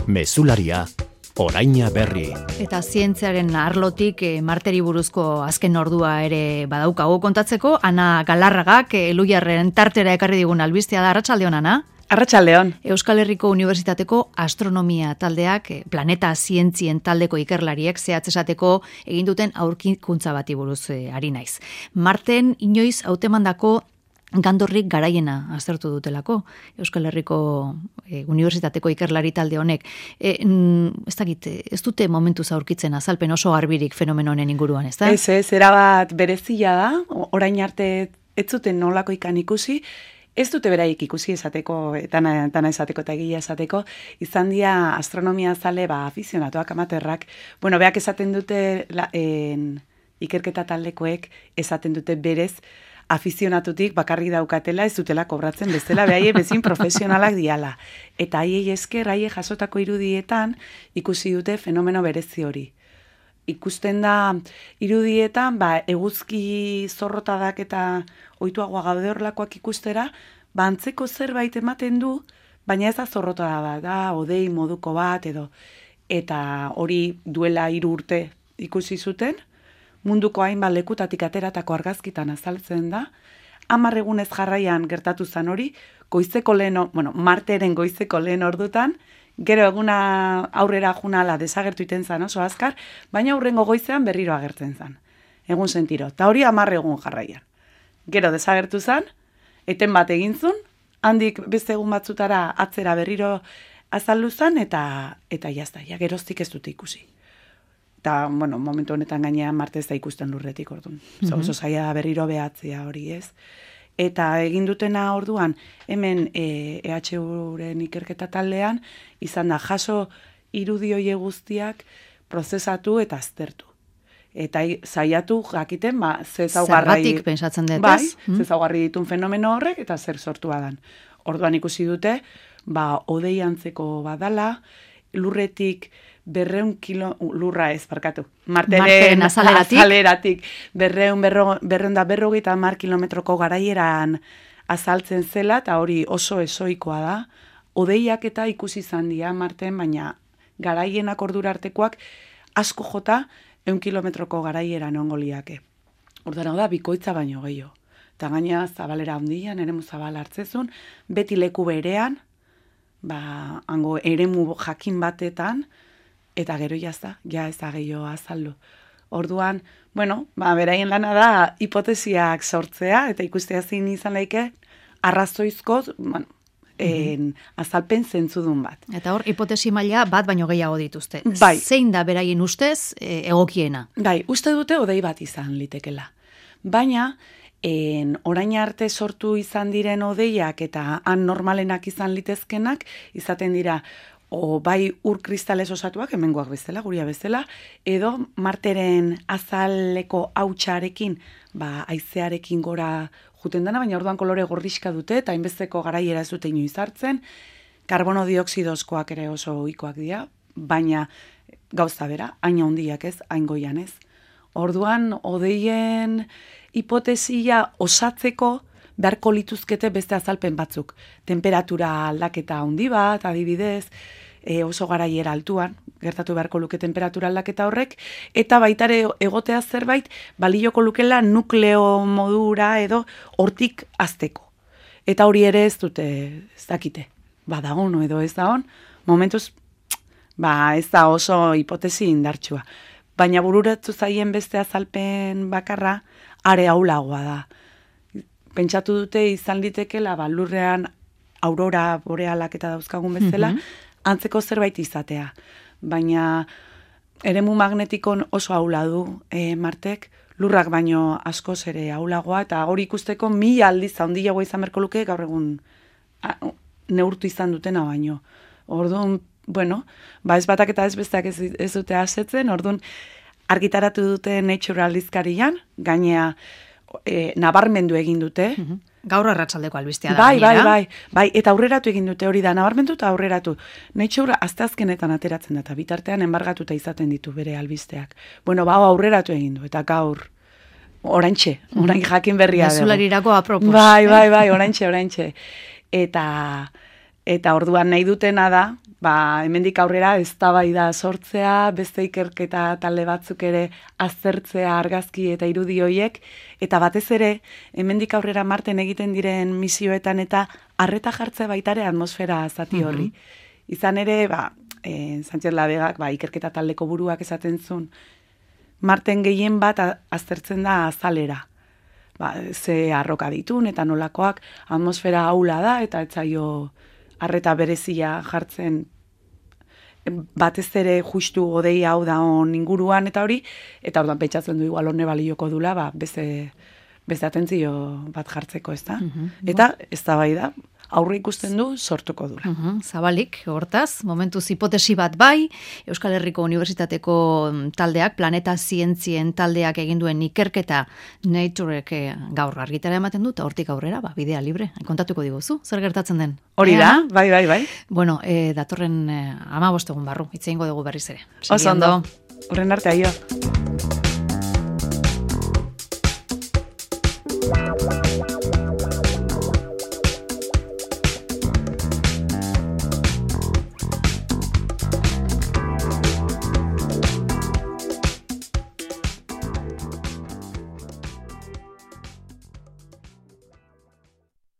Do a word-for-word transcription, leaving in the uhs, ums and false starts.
Mezularia, oraina berri. Eta zientziaren arlotik e, Marteri buruzko azken ordua ere badaukago kontatzeko, Ana Galarragak e, Luiarren tartera ekarri digun albistea da. Arratsaldeon, Ana. Arratsaldeon. Euskal Herriko Unibertsitateko astronomia taldeak, e, planeta zientzien taldeko ikerlariek zehatz esateko egin duten aurkikuntza bati buruz e, ari naiz. Marten inoiz hautemandako gandorrik garaiena aztertu dutelako Euskal Herriko e, Unibertsitateko ikerlari talde honek. E, mm, ez dakit, ez dute momentuz aurkitzen azalpen oso garbirik fenomeno honen inguruan, ez da? Ez, ez, erabat berezia da, orain arte ez zuten nolako ikan ikusi, ez dute beraik ikusi esateko, tana, tana esateko eta egia esateko, izan dira astronomia zale, ba, afizionatuak, amaterrak, bueno, beak esaten dute, la, en, ikerketa taldekoek esaten dute berez, afizionatutik bakarri daukatela ez dutela kobratzen bestela, behaiek bezin profesionalak diala. Eta haiei esker, haiek jasotako irudietan ikusi dute fenomeno berezi hori. Ikusten da irudietan, ba, eguzki zorrotadak eta ohituagoa gaude horrelakoak ikustera, ba, antzeko zerbait ematen du, baina ez da zorrotada bat, da, odei moduko bat edo. Eta hori duela hiru urte ikusi zuten, munduko hainbat lekutatik ateratako argazkitan azaltzen da, hamar egunez jarraian gertatu zan hori, goizeko lehen, bueno, Marteren goizeko lehen ordutan, gero eguna aurrera junala desagertu iten zan oso azkar, baina aurrengo goizean berriro agertzen zan. Egun sentiro, eta hori hamar egun jarraian. Gero desagertu zan, eten bat egintzun, handik beste egun batzutara atzera berriro azaldu zan, eta, eta jazta, ja, geroztik ez dute ikusi. Eta, bueno, momentu honetan gainean Marte ez da ikusten lurretik orduan. Mm-hmm. Oso zaila da berriro behatzea hori, ez? Eta egin dutena orduan, hemen e, E H U-ren ikerketa taldean, izan da jaso irudioie guztiak prozesatu eta aztertu. Eta saiatu jakiten, ba, ze zaugarrai... Zergatik pensatzen dut, bai, ez? ze zaugarri ditun fenomeno horrek, eta zer sortua dan. Orduan ikusi dute, ba, odei antzeko badala, lurretik berreun kilo, lurra ez, barkatu, Marteren, Marteren azaleratik, azaleratik berreun, berro, berreun da berrogeita hamar kilometroko garaieran azaltzen zela, eta hori oso esoikoa da, odeiak eta ikusi izan dira Marten, baina garaienak ordura artekoak asko jota eun kilometroko garaieran ongo liake. Orduan hau da, bikoitza baino gehiago. Eta gaina zabalera handian, eremu zabal hartzezun, beti leku berean, ba, hango eremu jakin batetan, eta gero jazta, ja ez da gehiago azaldu. Orduan, bueno, ba, beraien lana da hipotesiak sortzea, eta ikustea zein izan laike, arrazoizko, bueno, en, azalpen zentzudun bat. Eta hor, hipotesi maila bat baino gehiago dituzte. Bai. Zein da beraien ustez e, egokiena? Bai, uste dute odei bat izan litekela. Baina, en, orain arte sortu izan diren odeiak eta han normalenak izan litezkenak, izaten dira, o bai ur kristales osatuak, hemengoak bezala, guria bezala, edo Marteren azaleko hautsarekin, ba, haizearekin gora juten dena, baina orduan kolore gorrixka dute, eta hainbesteko garaiera ez dute inoiz hartzen, karbono dioksidozkoak ere oso ohikoak dira, baina gauza bera, hain handiak ez, hain goian ez. Orduan, odeien hipotesia osatzeko beharko lituzkete beste azalpen batzuk. Temperatura aldaketa handi bat, adibidez, e, oso garaiera altuan, gertatu beharko luke temperatura aldaketa horrek, eta baitare egotea zerbait, balioko lukela nukleo modura edo hortik azteko. Eta hori ere ez dute, ez dakite, badagon edo ez da on, momentuz, ba ez da oso hipotesi indartsua. Baina bururatu zaien beste azalpen bakarra, are aulagoa da. Pentsatu dute izan litekela, ba, lurrean aurora borealak eta dauzkagun bezala, mm-hmm. antzeko zerbait izatea. Baina eremu magnetikon oso aula du e, Martek, lurrak baino askoz ere aulagoa, eta hori ikusteko mila aldiz handiagoa izan berko luke, gaur egun a, neurtu izan dutena baino. Orduan, bueno, ba ez batak eta ez besteak ez, ez dute asetzen, orduan argitaratu dute Nature aldizkarian, gainea E, nabarmendu egin dute. Mm-hmm. Gaur arratsaldeko albistea da. Bai, bai, bai, bai, eta aurreratu egin dute hori da, nabarmendu eta aurreratu. Nature asteazkenetan ateratzen da, eta bitartean enbargatuta izaten ditu bere albisteak. Bueno, ba, aurreratu egin du, eta gaur oraintxe, orain jakin berria dugu. Mezularirako apropos. Bai, bai, bai, oraintxe, oraintxe. Eta, eta orduan nahi dutena da, ba, hemendik aurrera eztabaida sortzea, beste ikerketa talde batzuk ere aztertzea argazki eta irudi hoiek, eta batez ere, hemendik aurrera Marten egiten diren misioetan eta arreta jartzea baitare atmosfera zati horri. Mm-hmm. Izan ere, ba, e, Sánchez Labegak, ba, ikerketa taldeko buruak esaten zuen, Marten gehien bat aztertzen da azalera. Ba, ze arroka ditun eta nolakoak atmosfera aula da eta etzaio arreta berezia jartzen batez ere justu godei hau da on inguruan eta hori, eta orduan pentsatzen du igual hone balioko dula, ba, beste, beste atentzio bat jartzeko, ez da? Uh-huh. Eta ez da bai da, aurre ikusten du sortuko dula. Uh-huh. Zabalik, hortaz, momentuz hipotesi bat bai, Euskal Herriko Unibertsitateko taldeak, planeta zientzien taldeak egin duen ikerketa Naturek gaur argitara ematen dut, hortik aurrera, ba, bidea libre, kontatuko diguzu, zer gertatzen den? Hori da, bai, bai, bai. Bueno, eh, datorren eh, ama bostegun barru, itze ingo dugu berriz ere. Oso ondo, horren arte aio.